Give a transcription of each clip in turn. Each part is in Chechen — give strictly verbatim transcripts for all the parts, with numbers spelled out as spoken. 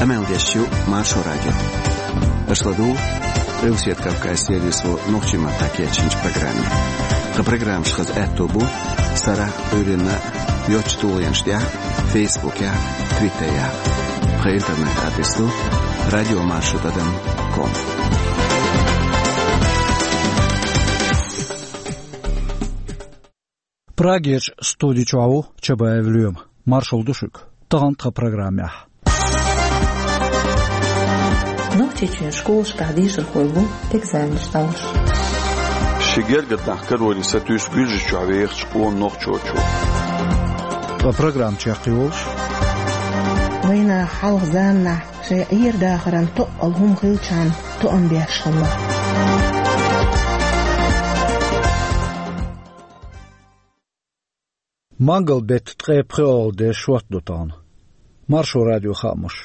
Къамел деш ю Маршо радио. Аша ладугӀу Къилбаседа Кавказан сервисо нохчийн маттахь кечйинчу программе. Тхан программаш хаза аьтто бу сарахь а, Ӏуьйранна а йоцачу тулгӀенаш тӀехь а, Фейсбукехь а, Твиттерехь а. Тхан интернет-адрес ду радиомаршо тӀадам ком. Прагерчу студи чохь ву Чабаев Лоьма. Маршалла ду шуьга. Тахана тхан программехь. Нохчийчоьнан школашкахь дешархой бу экзаменаш дӀалуш. Ши гергара нах кароре сатуьйсу Гуьржийчохь вехачу къона нохчочо. Ткъа программа чекхйолуш. Вайнах хьалха заманахь шайн Ӏер-дахаран тоъал хӀума хилчахьана тоам беш хилла. Мангал-беттан ткъе пхоьалгӀа де шортта ду тахана. Маршо радион хаамаш.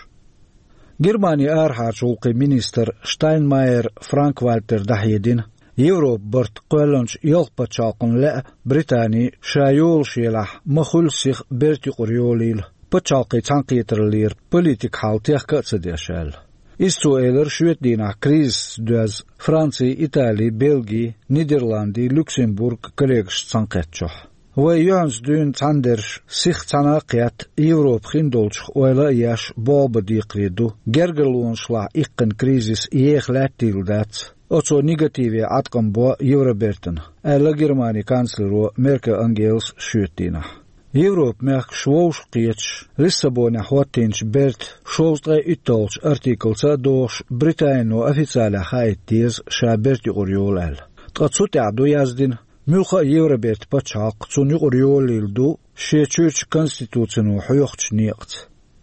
Германин арахьарчу гӀуллакхийн министра Штайнмайер Франк-Вальтера дӀахьедина, Европан барт кхоьллинчу ялх пачхьалкхана лаьа Британи ша йолуш елахь ма-хуьллу сиха бертан юкъара йолийла, пачхьалкхийн цхьаьнакхетараллера политикан хьал техка а ца деш аьлла. Иза цо элира шоьтан дийнахь кризисца доьзна Франци, Итали, Бельги, Нидерланди, Люксембург коллегашца цхьаьнакхеттачохь. Вай юьхьанца дуьйна цхьаьнадерш сиха цхьаьна а кхетта, Европа хиндолчух ойла а еш, болх бан декхаре ду, гергарлонашлахь иккхина кризис еха лаьттийла дац, оцо негативе Ӏаткъам бо Евробертана, аьлла Германин канцлеро Меркель Ангелас шоьтан дийнахь. Европан мехкаш вовшахкхеташ, Лиссабонехь хӀоттийначу бертан шовзткъе итталгӀачу артиклаца а догӀуш, Британино официалехь хаийта деза ша бертан юкъара йолу аьлла. Ткъа цу тӀехь ду яздина, муьлхха а Евробертан пачхьалкх цунна юкъара йолийла ду шен чуьрачу конституцино хьоьхучу некъаца.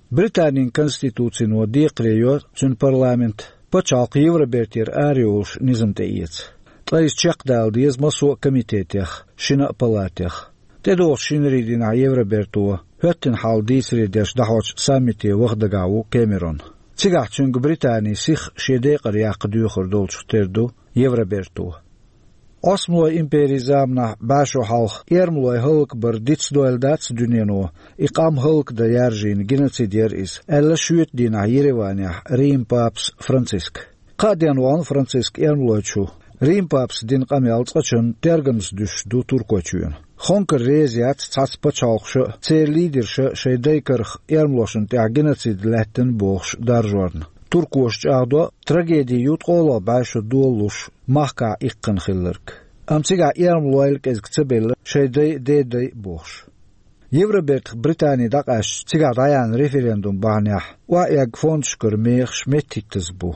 Британин конституцино декхаре йо цуьнан парламент пачхьалкх Евробертера арайолуш низам тӀеэца. Ткъа иза чекхдала деза массо а комитетех, шина а палатех. ТӀедогӀучу шинарийн дийнахь Евроберто хӀоьттина хьал дийцаре деш дӀахьочу саммите ваха дагахь ву Кэмерон. Цигахь цуьнга Британи сиха шен декъар яккха доьхур долчух тера ду Евроберто. Ӏосмалойн империн заманахь бӀе шо хьалха эрмалой хӀаллакбар дицдойла дац дуьнено, и къам хӀаллакдан яржийна геноцид яра иза, аьлла шоьтан дийнахь Ереванехь Риман папас Франциска. Кхаа ден вахана Франциска эрмалойчу. Риман папас дина къамел цкъачунна тергамза дуьсуш ду Туркойчоьнан. Хонкар реза яц цхьацца пачхьалкхаша а, церан лидерша а шайн дай карах эрмалошна тӀехь геноцид лаьттина бохуш даржорна. Туркоша чӀагӀдо, трагеди ю ткъолгӀа бӀе шо долалуш махкахь иккхина хилларг. Амма цигахь эрмалойла кӀезиг ца белла шайн дай а, дедай а бохуш. Евробертах Британи дӀакъаьстича, цигахь дӀаяьхьна референдум бахьанехь охьаэгна фондашкара мехаш меттахӀиттаза бу.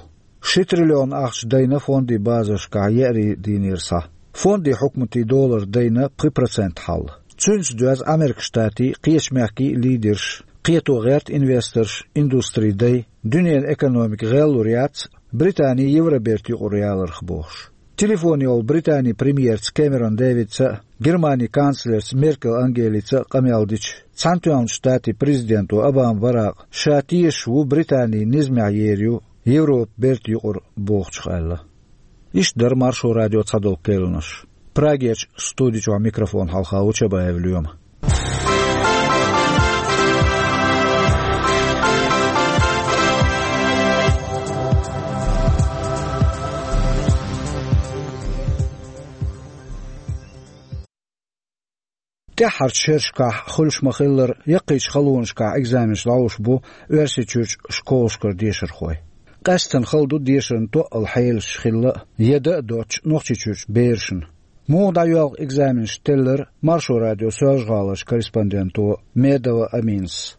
Ши триллион ахча дайна фондийн базаршкахь еарин дийнера схьа. Фондийн хьукматийн долара дайна пхи процент хьал. Цуьнца доьзна Америкин Штатийн, кхечу мехкийн а лидерш, кхето гӀерта инвесторш, индустрин дай, дуьненан экономика гӀеллур яц Британи Евробертан юкъара яларх бохуш. Телефон йолу Британин премьерца Кэмерон Дэвидца а, Германин канцлерца Меркель Ангелица а къамел дича, Цхьаьнатоьхначу Штатийн президенто Обама Баракъа ша тешаш ву Британи низамехь ер ю Европа бертан юкъара бохучух аьлла. Иштта дара Маршо радион цхьадолу кхаьънаш. Прагерчу студи чохь микрофон хьалха ву Чабаев Лоьма. ТӀаьххьарчу шерашкахь хуьлуш ма-хиллара, яккхийчу халонашкахь экзаменаш дӀалуш бу Оьрсийчуьрчу школашкара дешархой. Къаьсттина хала ду дешарна тоъал хьелаш хилла а, яда а доцучу Нохчийчуьрчу берашна. Муха дӀайоьлху экзаменаш теллира Маршо радион Соьлжа-ГӀаларчу корреспонденто Медова Аминас.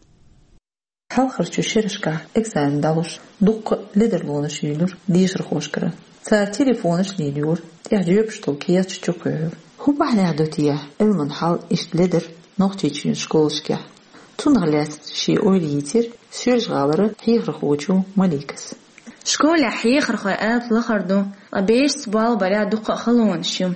Хьалхарчу шерашкахь экзамен дӀалуш, дуккха а ледарлонаш юьйлура дешархошкара. Цара телефонаш лелайора, тӀехь жоьпаш долу кехаташ чукхоьхьура. ХӀун бахьанехь ду те Ӏилман хьал иштта ледар Нохчийчуьнан школашкахь? Цунах лаьцна шен ойла йийцира Соьлжа-ГӀалара хьехархочо Маликас. Школехь хьехархойн алапа лахара ду, ткъа берашца болх барехь дуккха а халонаш ю.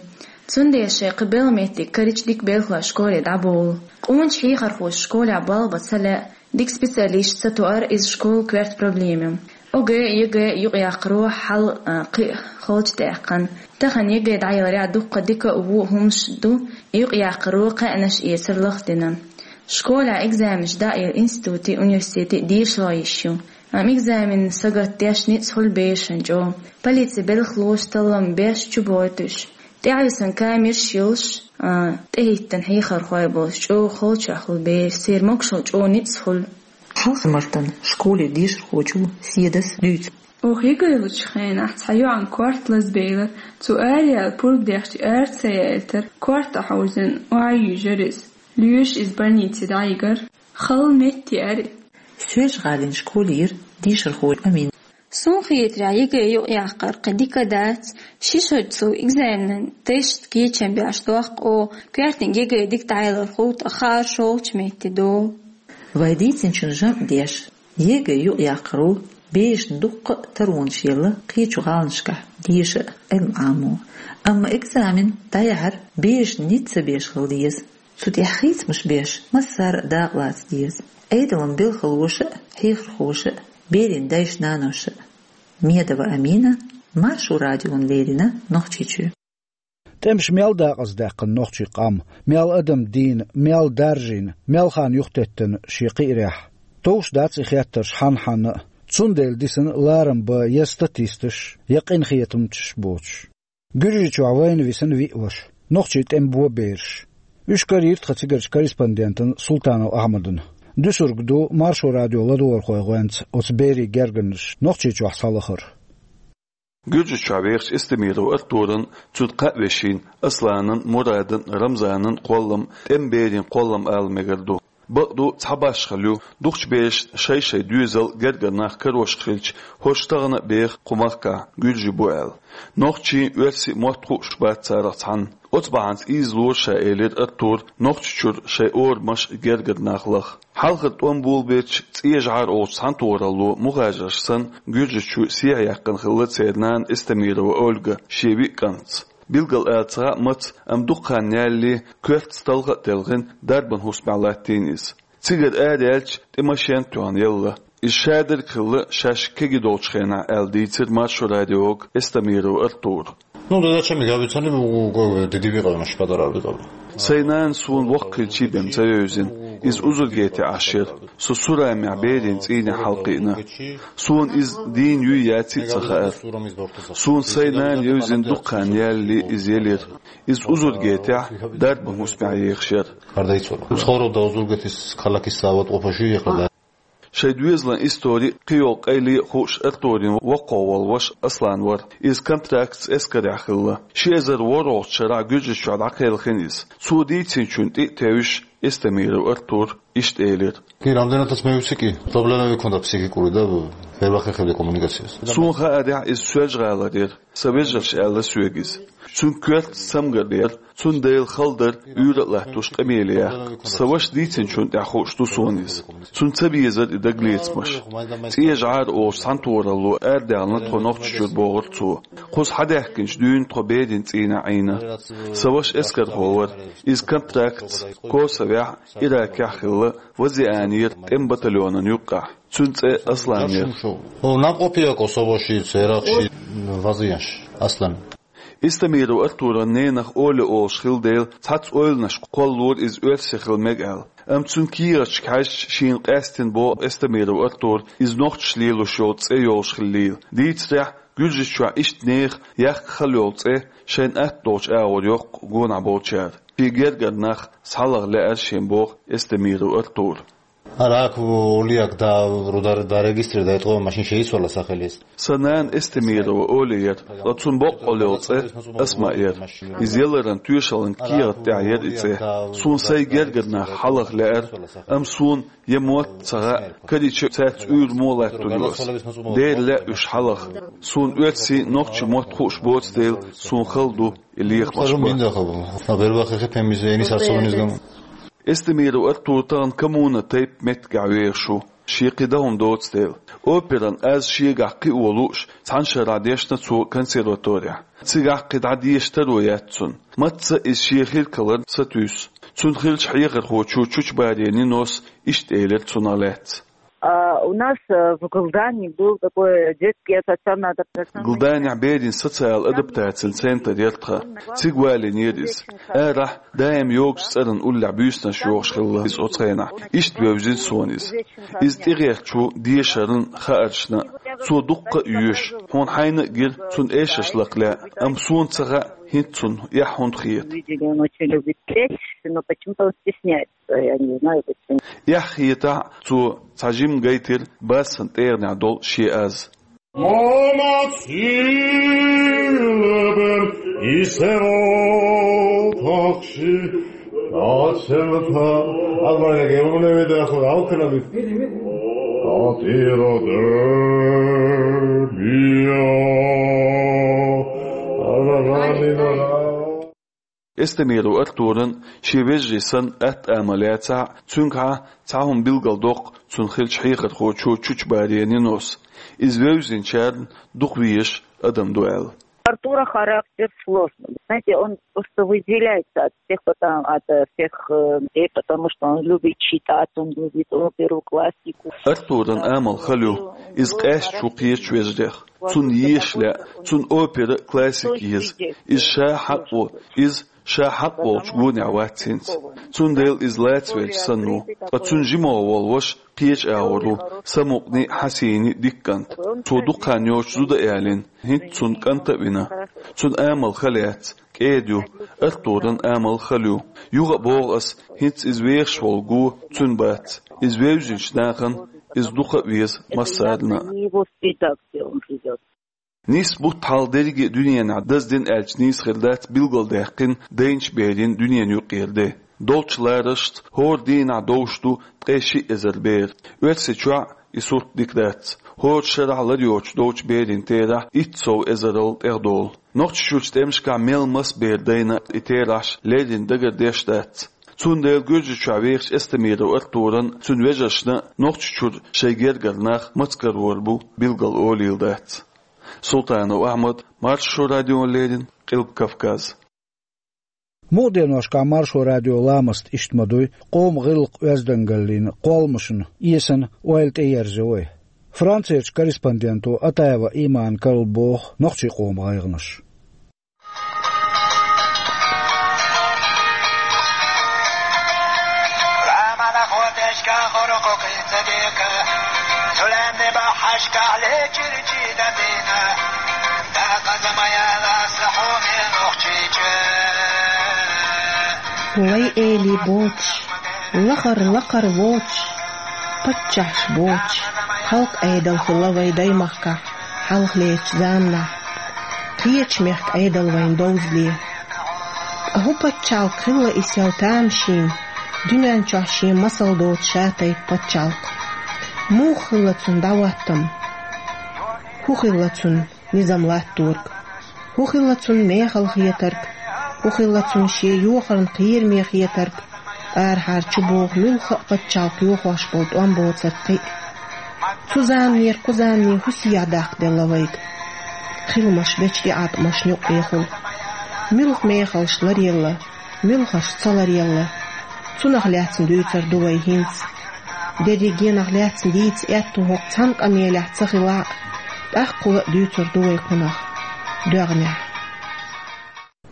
Цундела шайн кхин белхан меттиг карийча дика белхалой школе дӀаболу. Къоначу хьехархоша школехь болх бан ца лаьа, дика специалисташ ца тоар иза школан коьрта проблема ю. ОГЭ, ЕГЭ юкъаяккхаро хьал, а, кхин а халчу даьккхина. Тахана ЕГЭ дӀаяларехь дуккха дика а, вон а хӀуманаш ду, юкъаяккхаро кхаьънаш эцар лахдина. Школехь экзаменаш дӀаелла институтийн, университетийн дешархой йиш ю. Амма экзамен сагатдеш ницкъ хуьлу берашна чӀогӀа. Полицин белхалоша таллам беш чубойтуш. ТӀаьхьависина камераш йолуш, а, тӀехӀиттина хьехархой болуш чӀогӀа халчохь хуьлу бераш. Церан могушалла чӀогӀа ницкъ хуьлу. Хьалха мартан школера дешархочо Седас дуьйцу. Оха ЕГЭ лучу хенахь цхьа йоӀан корта лазабелира. Цо араяьлла пурба дехча ара ца яийтара, корта хьовзийна охьа а йуьйжира иза. Лоьраша иза больнице дӀайигира. Хала метта еара. Соьлжа-ГӀалин школера дешархо Амина. Суна хетарехь, ЕГЭ юкъаяккхар кхин дика дац, ши шо цу экзаменан тест кечам беш доккху, коьртаниг ЕГЭ дика дӀаялар хуьлу, ткъа хаарш йолчу метте долу. Вай дийцинчун жамӀ деш, ЕГЭ юкъаяккхаро берашна дуккха а таронаш елла кхечу гӀаланашкахь деша а, Ӏилма Ӏамо. Амма экзамен дӀаяхьар берашна ницкъ ца беш хила деза. Цу тӀехь хийцамаш беш, массара а дакъалаца деза. Ӏедалан белхалоша а, хьехархоша а, берийн дайша-наноша а. Медова Амина, Маршо радиона леррина, Нохчийчоь. ТӀемаша мел дакъаздаьккхина нохчийн къам, мел адам дийна, мел даржийна, мел хан юхатеттина шен кхиарехь. Товш дац и хеттарш хьанна-хьанна а, цундела дисина ларам бан я статисташ, я къинхетамчаш боцуш. Гуьржийчохь вайна висина виъ ваша, нохчийн тӀеман бо бераш. Уьш карийра тхан цигарчу корреспондентана Султанов Ахьмадана. Дуьсург ду Маршо радион ладогӀархойн гӀоьнца оцу берийн гергарнаш Нохчийчохь схьалахар. Гуьржийчохь вехачу Эстемиров Артуран, цуьнан кхаа вешин, Асланан, Мурадан, Рамзанан кхоллам тӀеман берийн кхоллам ала мегар ду. Бакъду, цхьа башхалла ю, дукхачу берашна шай-шайн доьзал, гергара нах карош хилча, хӀорш тахана а беха кху махкахь гуьржий бу аьлла. Нохчийн, оьрсийн мотт хууш бац царах цхьанна. Оцу бахьанца ийзалора ша, элира Артура, Нохчийчуьра шайн орамаш, гергара нах лаха. Хьалхара тӀом болабелча, ЦӀен жӀар олучу цхьаьнатохаралло мухажарш санна, Гуьржийчу сехьаяьккхина хилла церан нана Эстемирова Ольга шен виъ кӀантаца. Билггал ала ца хаьа маца, амма дукха хан ялале, коьртаца талха а телхина, дарбан хӀусамехь латтийна иза. Цигара араяьлча, тӀе машен а тоьхна елла. Иза шадерг хилла шаьш кегий долчу хенахь аьлла дийцира Маршо радиога Эстемиров Артура. Ну, да зачем? Я ведь сам не могу, как бы, дедовья, конечно, подарок, да. Сайн нана суна воккха хилчий бен ца вевзина. Иза узургетехь Ӏаш яра. Со Сурамехь берийн цӀийнехь хьалакхиъна. Суна иза дийна юй яций а ца хаьара. Суна сайн нана евзина дукха хан ялале иза елира. Иза узургетехь дарбан хӀусамехь ехаш яра. Кардайцура. Схору да узургетис калакис сават опаши якада. Шайн доьзалан истори, кхийолу къайле а хууш Артуран воккхах волу ваша Аслан вара. Иза контрактца эскарехь хилла. Ши эзар ворхӀалгӀачу шарахь Гуьржийчохь дӀакхелхина иза. Цо дийцинчунна тӀе а тевжаш, Эстемиров Артура иштта элира. Ки рамдена тас мевсики, проблема викунда психикури да, первахе хевде коммуникацияс. Суна хаарехь, иза Соьлжа-ГӀалара яра. Сан вежарша аьлла соьга иза. Цуьнан коьртаца цамгар дара, цундела хала дара уьйра а латтош къамеле яккха. Сан вашас дийцинчунна тӀехь хууш ду суна иза. Цунна ца безара и дагалецамаш. ЦӀен жӀар олучу цхьаьнатохаралло арадаьхна тхо Нохчийчуьра, бохура цо. Кхуза хьадаьхкинчу дуьйна тхо берийн цӀийнехь Ӏийна. Сан ваша эскархо вара. Иза контрактца Косовехь, Иракехь хилла, Вазианера тӀеман батальонан юккъехь. Цуьнан цӀе Аслан яра. О, наб опия Косово ши, церах ши, вазияш, Аслан. Эстемиров Артуран ненах Оля олуш хилла дела, цхьацца ойланашка кхоллалора иза оьрси хила мега аьлла. Амма цуьнан кехаташка хьаьжча, шена къаьстина боху Эстемиров Артура, иза нохчаша лелош йолу цӀе йолуш хиллийла. Дийцарехь, Гуьржийчохь иштта нехан яккха хала йолу цӀе шайна атта долчу агӀор йоккху гонахь болчара. Шен гергара нах схьалаха лаьара шен, боху Эстемиров Артура. Рак, улиак да, ру-, да, да, регистр да, это машин шесть вала сахалис. Сан нана Эстемирова Оля яра, ткъа цуьнан боккъалла йолу цӀе Асма яра. Иза яларан тоьшаллин кехат тӀехь яра и цӀе. Суна сайн гергара нах хьалаха лаьара, амма суна я мотт ца хаьа, карийча цаьрца уьйр муха латтор ю ас. Дера лаьа уьш хьалаха. Суна оьрсийн, нохчийн мотт хууш боцу дела, суна хала ду и лехамаш бан. Эстемиров Артур тахана коммуна тайпа меттигехь вехаш ву, шен кхин дан хӀума доцу дела. Операн аз шегахь кхио лууш, цхьана шарахь дешна цо консерваторехь. Цигахь кхин дӀа деша таро яц цунна. Мацца иза шен хиркаларна сатуьйсу. Цунна хиллачу хьехархочо Чучубарин Нинос иштта элира цунах лаьцна. А, У нас э, в Галдане был такой детский социально адаптационный. Галданехь берийн социал адаптацин центр яр тхан. Цига валийнера иза. Арахь даим йогуш цӀеран уллехь буьйсанаш йохуш хилла иза оцу хенахь. Иштта вевзина суна иза. Иза тӀегӀертачо дешаран хааршна. Цо дуккха а йоьшу. Хьуна хьайна а гира цунна эшарш лакха лаьа, амма суна ца хаьа, хӀинца цунна эхь хӀунда хета. Видели, он очень любит петь, но почему-то он стесняется, я не знаю почему. Эхь хетахь а, цо цхьа жимма гайтира бассан тӀегӀанехь долу шен аз. Мама цилбен исево тахши ацелта. Аллах яге умне ведаху алкана бит. Атира дербия. Ара ранина. Эстемиров Артуран шен вежарий санна атта амал яцахь а, цуьнгахьа цхьа хӀума билгалдоккху цунна хиллачу хьехархочо Чучубария Нинос. Иза вевзинчарна дукха везаш адам ду аьлла. Артура характер сложный. Знаете, он просто выделяется от всех, потому, от э, всех э, людей, потому что он любит читать, он любит оперу, классику. Артуран амал хала ю, иза къаьсташ ву кхечу вежарех. Цунна езаш лаьа, цунна опера а, классика еза. Иза ша хьакъ ву, иза ша хьакъ волчу гонехь вац хӀинца. Цундела иза лацвелча санна ву. Ткъа цуьнан жима волу ваша кхечу агӀор ву, самукъане а, хьасийне а дика кӀант. Цо дукха хан йоцуш зуда а ялийна, хӀинца цунна кӀант а вина. Цуьнан амал хала яц, кӀеда ю, Артуран амал хала ю. Юха а боху ас, хӀинца иза вехаш волу го цуьнан бац. Иза вевзинчу нахана иза дукха а веза массарна а. Его среда, где он живёт. Нийсса бутт хьалха дерриге а дуьненахь даздина аьлча нийса хир дац билгалдаьккхина дайначу берийн дуьненан юкъера де. Долчу ларашца хӀора дийнахь довш ду ткъе шиъ эзар бер. Оьрсийчохь и сурт дика дац. ХӀора шарахь лар йоцуш долчу берийн терахь итт сов эзарал тӀехдолу. Нохчийчуьрчу тӀемашкахь мел маса бер дайна и терахьаш леррина дагардеш дац. Цундела Гуьржийчохь вехачу Эстемиров Артуран, цуьнан вежаршна Нохчийчуьра шайн гергара нах маца карор бу билгал олийла дац. Султанов Ахьмад, Маршо радиона леррина, Къилба Кавказ. Мукъа деношкахь Маршо радион ламаст иштта ма дуй, къоман гӀиллакх-оьздангаллин кхолламашна эсана ойла тӀеерзайо вай. Францерчу корреспонденто Атаева Имана карла боху нохчийн къоман гӀайгӀанаш. Лай эли боцуш, лахара лакхара воцуш, паччахьаш боцуш, халкъан Ӏедал хилла вайн даймахкахь хьалхалерчу заманахь. Кхечу мехкан Ӏедал вайна довзале. Ткъа хӀун пачхьалкх хилла и сел тамашийна, дуьнен чохь шен масал доцу ша-тайпа пачхьалкх? Муха хилла цунна дӀахӀоттам? ХӀун хилла цунна низам латторг? ХӀун хилла цунна мехала хетарг? ХӀун хилла цунна шен йохарна кхераме хетарг? Арахьара чубоху муьлхха а пачхьалкх йохош болу тӀом боцург кхин а. Цу заманера кху замане хӀун сехьа даккхаделла вайга? Хиламаш бечу тӀеӀаткъамашна юккъехула. Муьлха мехалш ларъелла, муьлхарш ца ларъелла. Цунах лаьцна дуьйцур ду вай хӀинца. Дерригенах лаьцна дийца аьтту хӀокху цхьана къамелехь ца хилахь а, тӀаккха хӀула а дуьйцур ду вай кхунах доьгӀнехь.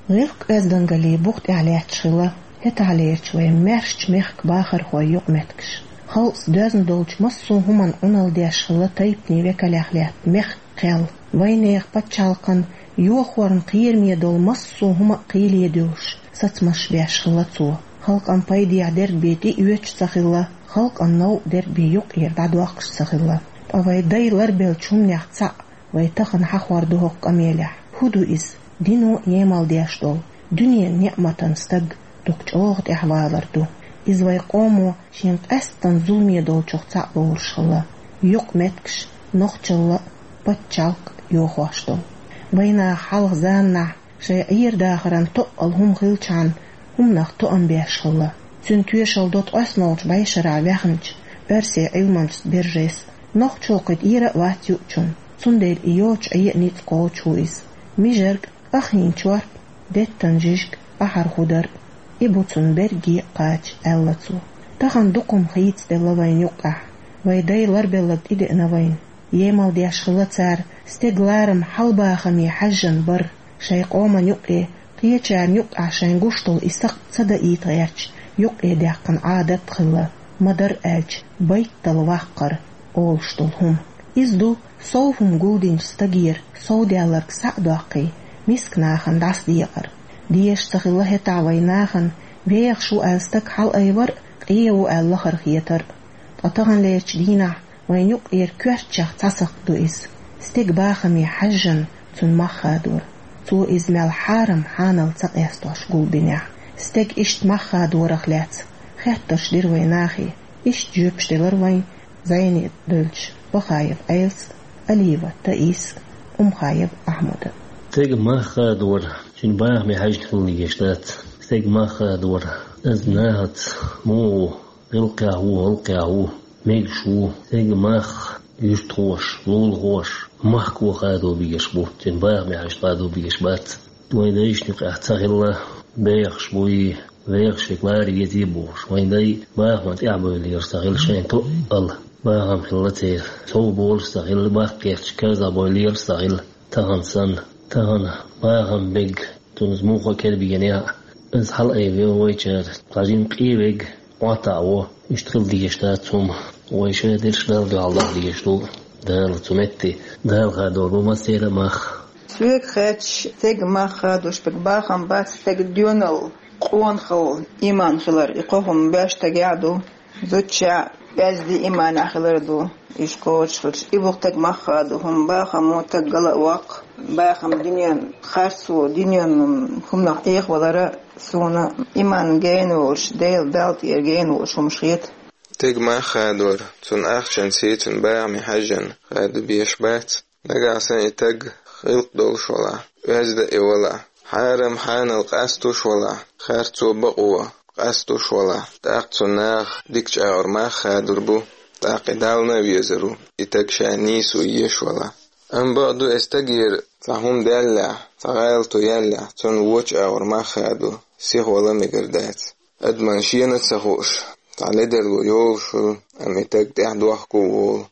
ГӀиллакх-оьздангаллин бух тӀехь лаьтташ хилла хӀетахьлерчу вайн маьршачу мехкан бахархойн юкъаметтигаш. Халкъаца доьзна долчу массо а хӀуманна Ӏуналла деш хилла тайпанийн векалех лаьтта мехкан кхел. Вайнехан пачхьалкхан йохорна кхераме долу массо а хӀума а кхийле дуьллуш, сацамаш беш хилла цо. Халкъан пайдехь дерг бен тӀеоьцуш ца хилла, халкъан новкъа дерг бен юккъера дӀадоккхуш ца хилла. Ткъа вайн дай ларбеллачу хӀуманех цхьаъ вай тахана хьахор ду хӀокху къамелехь. ХӀун ду иза? Дино емал деш долу, дуьненан неӀматан стаг дукха чӀогӀа тӀаьхьавалар ду. Иза вайн къомо шен къаьсттан зуламе долчух цхьаъ лоруш хилла. Юкъаметтигаш нохчалла а, пачхьалкх а йохош долу. Вайнаха хьалха заманахь шайн Ӏер-дахаран тоъал хӀума хилчхьана, хӀуманах тоам беш хилла. Цуьнан тоьшалла до ткъоьсналгӀачу бӀешарахь ваьхначу оьрсийн Ӏилманчаца Бержес. Нохчо кхин тӀера а вац юучунна, цундела и йоцуш Ӏе а ницкъ кхочуш ву иза. Мижарг, къахьийна чорпа, деттан жижиг, ахьар худар, и бу цунна берриге а кхача, аьлла цо. Тахана дукха хӀума хийцаделла вайна юккъехь. Вай дай ларбелларг тӀедеана вайна. Емал деш хилла цара, стеган ларам хьалбахаме хьаьжжина бар. Шайн къоман юкъе, кхечарна юкъахь шайн гуш долу и сакъ ца даийта гӀерташ, юкъе даьккхина Ӏадат а хилла, ма-дарра аьлча, байтал ваккхар олуш долу хӀума. Иза ду сов хӀума гулдинчу стагера сов даьлларг схьа а доккхий, миска нахана дӀасадекъар. Дезаш ца хилла хӀетахь вайн нахана, вехаш ву аьлла стаг хьалаайвар а, къен ву аьлла лахара хетар а. Ткъа таханлерчу дийнахь вайн юкъера коьртачех цхьа сакъ ду иза. Стеган бахаме хьаьжжина цуьнан мах хадор. Цо иза мел хьарам хьанал ца къестош гулбинехь, стеган иштта мах хадорах лаьцна хеттарш дира вайн нахе. Иштта жоьпаш делара вайн зӀене девллачу Бахаев Ӏелас а, Алиева Таиса а, Умхаев Ахьмада а. Стеган мах хадор цуьнан бахаме хьаьжжина хила дезаш дац. Стеган мах хадор, иза нахаца муха ву, гӀиллакхехь ву, гӀуллакхехь ву, мегаш ву, стеган мах юьртахоша, лулахоша, махко хадо бегаш бу, цуьнан бахаме хьаьжжина хадо бегаш бац. Вайн дайшна юкъахь ца хилла, бехаш буй, вехаш верг лара везий бохуш, вайн дай бахаман тӀаьхьабевллера ца хилла шайн тоъал. Бахам хилла церан, сов болуш ца хилла, баккхерчу карзахбевллера ца хилла. Тахана санна, тахана бахам бег, цунна иза муха кара бегӀанехь а, иза хьалаайвина вайчара, тхьажин къе вег, Ӏоттававо, иштта хила дезаш дац хӀума. Вай ша дерш Далла дуьхьал даха дезаш ду, Дала цу метте, Дала хадор бу массеран а мах. Соьга хаьттича, стеган мах хадош берг бахам бац, стеган доьналла, къонахалла, иман хилар, и кхо хӀума беш стагехь а ду. Зудчохь оьзда иманехь хилар а ду, уьш кхочушхуьлуш, и бу стеган мах хадо хӀума. Бахам бу стаг гала а воккху, бахам дуьненан харцо, дуьненан хӀуманах Ӏехавалар а. Суна иман гена волуш, Дела, Далла тӀера гена волуш хӀумаш хета. Стеган мах хадор, цуьнан ахчанца, цуьнан бахаме хьаьжжина хадо беш бац. Нагахь санна и стаг гӀиллакх долуш валахь, оьзда а валахь, хьарам хьанал къасталуш валахь, харцо, бакъо къасталуш валахь, тӀаккха цу наха дика чӀагӀар мах хадор бу, тӀаккха и Далла а везар ву, и стаг ша нийсо еш валахь. Амма бакъду, и стагера цхьа хӀума даьллехь, цхьа гӀалато яьллехь, цунна вочу агӀор мах хадо, сихвала мегар дац. Адамна шена а ца хууш, цхьа ледарло йолуш хуьлу, амма и стаг тӀаьхьа дохко а волу.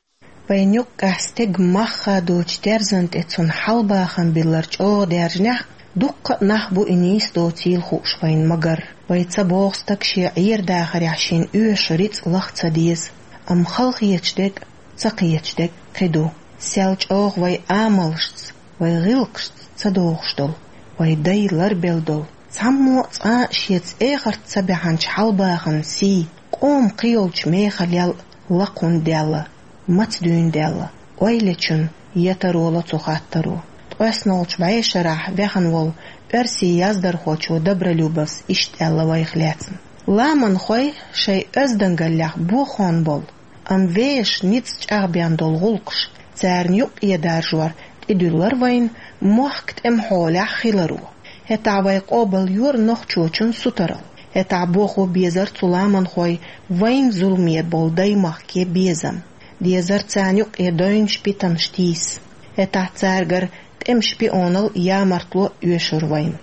Вайн юккъехь стеган мах хадочу терзан тӀе цунна хьалбахам биллар чӀогӀа даьржинехь, дуккха а нах бу и нийса доцийла хууш вайн магар. Вай ца боху стаг шен Ӏер дахарехь шен оьшу рицкъ лаха ца деза, амма хала хеташ дерг а, ца кхеташ дерг а кхин ду. Сел чӀогӀа вай амалшца, вай гӀиллакхашца ца догӀуш долу, вай дай ларбелла долу, цхьаммо а цкъа а шеца эхарт ца баьхьначу хьалбахаман сий, къоман кхийолчу мехалел а лакхундаьлла, мацдуьйнадаьлла, ойла йечун я таро ло цу хаттаро. ТкъоьсналгӀачу бӀешарахь ваьхна волу оьрсийн яздархочо Добролюбовс иштта аьлла вайх лаьцна: «Ламанхой шайн оьздангаллехь бохон болу, амма вешан ницкъ чӀагӀбен долу гӀуллакхаш, царна юкъе даржор тӀедуьллура вайна мохк тӀеман хьолехь хиларо. ХӀетахь вай къобалйора нохчочун сутаралла. ХӀетахь бохо безара цу ламанхойн вайна зуламе болу даймахке безам. Дезара царна юкъе девнаш, питанаш тийса. ХӀетахь цаьргара тӀеман шпионал, ямартло оьшура вайна».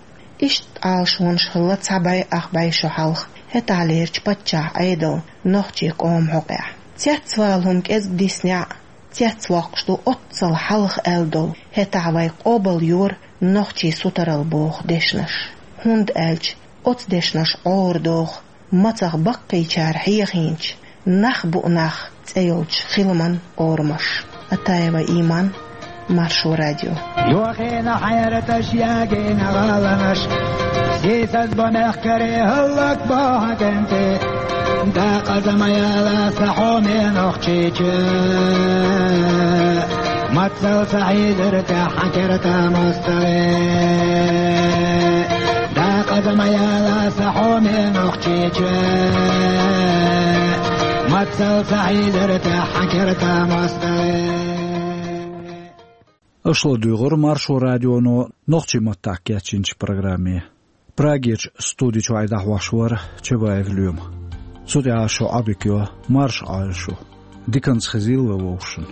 Иштта Ӏалашонаш хилла цхьа бӀе ах бӀе шо хьалха, хӀетахьлерчу паччахьан Ӏедалан нохчийн къоман хьокъехь. Цецвала хӀума кӀезиг диснехь а, цецвоккхуш ду оццул хьалха аьлла долу, хӀетахь вай къобалйора нохчийн сутаралла боху дешнаш. ХӀунда аьлча оцу дешнаша Ӏора доху мацах баккхийчара хьехийначу «Нах бу нах» цӀе йолчу хиламан орамаш. Атаева Иман, Маршо радио. Йохийна хьаьраташ, ягийна гӀаланаш, сийсаз бо мехкарий хӀаллакбо хьан кӀентий. Дакъаза ма яла сан хьоме Нохчийчу, мацалла сан хьийзира тӀехь хьан керта мостагӀий. Дакъаза ма яла сан хьоме Нохчийчу, мацалла сан хьийзира тӀехь хьан керта мостагӀий. Аша ладуьйгӀура Маршо радионо нохчийн маттахь кечйинчу программе. Прагерчу студи чуьра дӀахьош вара Чабаев Лоьма. Цу тӀехь шун Ӏодика йо, марша Ӏойла шу. Диканца хезийла вай вовшашна.